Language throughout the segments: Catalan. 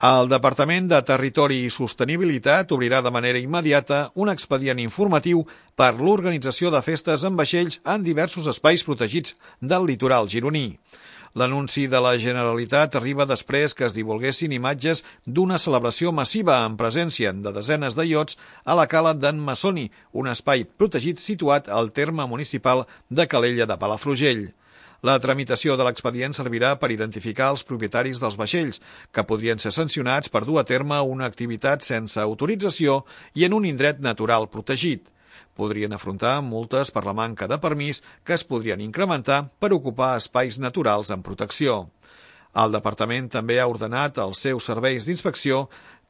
El Departament de Territori i Sostenibilitat obrirà de manera immediata un expedient informatiu per l'organització de festes amb vaixells en diversos espais protegits del litoral gironí. L'anunci de la Generalitat arriba després que es divulguessin imatges d'una celebració massiva en presència de desenes de iots a la cala d'en Massoni, un espai protegit situat al terme municipal de Calella de Palafrugell. La tramitació de l'expedient servirà per identificar els propietaris dels vaixells, que podrien ser sancionats per dur a terme una activitat sense autorització i en un indret natural protegit. Podrien afrontar multes per la manca de permís que es podrien incrementar per ocupar espais naturals en protecció. El Departament també ha ordenat als seus serveis d'inspecció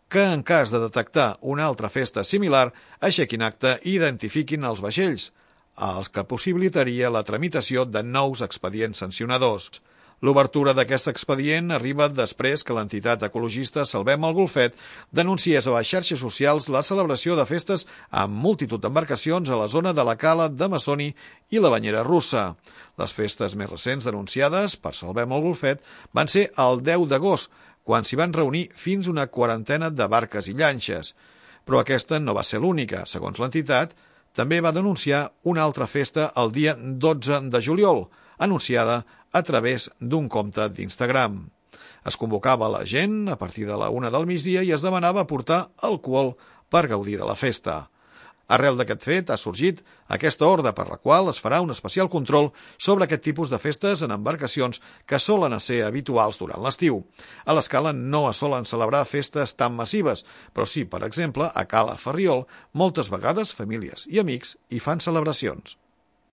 que, en cas de detectar una altra festa similar, aixequin acta i identifiquin els vaixells, els que possibilitaria la tramitació de nous expedients sancionadors. L'obertura d'aquest expedient arriba després que l'entitat ecologista Salvem el Golfet denunciés a les xarxes socials la celebració de festes amb multitud d'embarcacions a la zona de la cala de Massoni i la Banyera Russa. Les festes més recents denunciades per Salvem el Golfet van ser el 10 d'agost, quan s'hi van reunir fins una quarantena de barques i llanxes. Però aquesta no va ser l'única. Segons l'entitat, també va denunciar una altra festa el dia 12 de juliol, anunciada a través d'un compte d'Instagram. Es convocava la gent a partir de la 1 del migdia i es demanava portar alcohol per gaudir de la festa. Arrel d'aquest fet ha sorgit aquesta ordre per la qual es farà un especial control sobre aquest tipus de festes en embarcacions que solen ser habituals durant l'estiu. A l'escala no es solen celebrar festes tan massives, però sí, per exemple, a Cala Ferriol, moltes vegades famílies i amics hi fan celebracions.